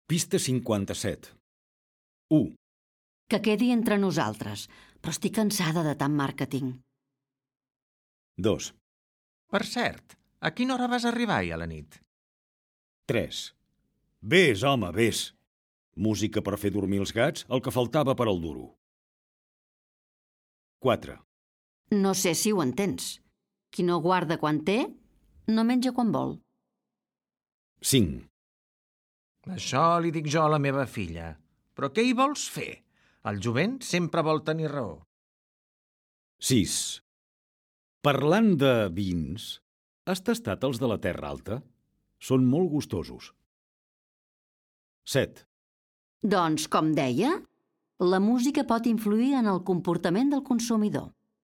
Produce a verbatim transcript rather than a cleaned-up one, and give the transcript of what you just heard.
Pista cinquanta-set. u. Que quedi entre nosaltres, però estic cansada de tant màrqueting. dos. Per cert, a quina hora vas arribar ahir a la nit? tres. Vés, home, vés. Música per fer dormir els gats, el que faltava per al duro. quatre. No sé si ho entens. Qui no guarda quan té, no menja quan vol. cinc. Això li dic jo a la meva filla. Però què hi vols fer? El jovent sempre vol tenir raó. sis. Parlant de vins, has tastat els de la Terra Alta? Són molt gustosos. set. Doncs, com deia, la música pot influir en el comportament del consumidor.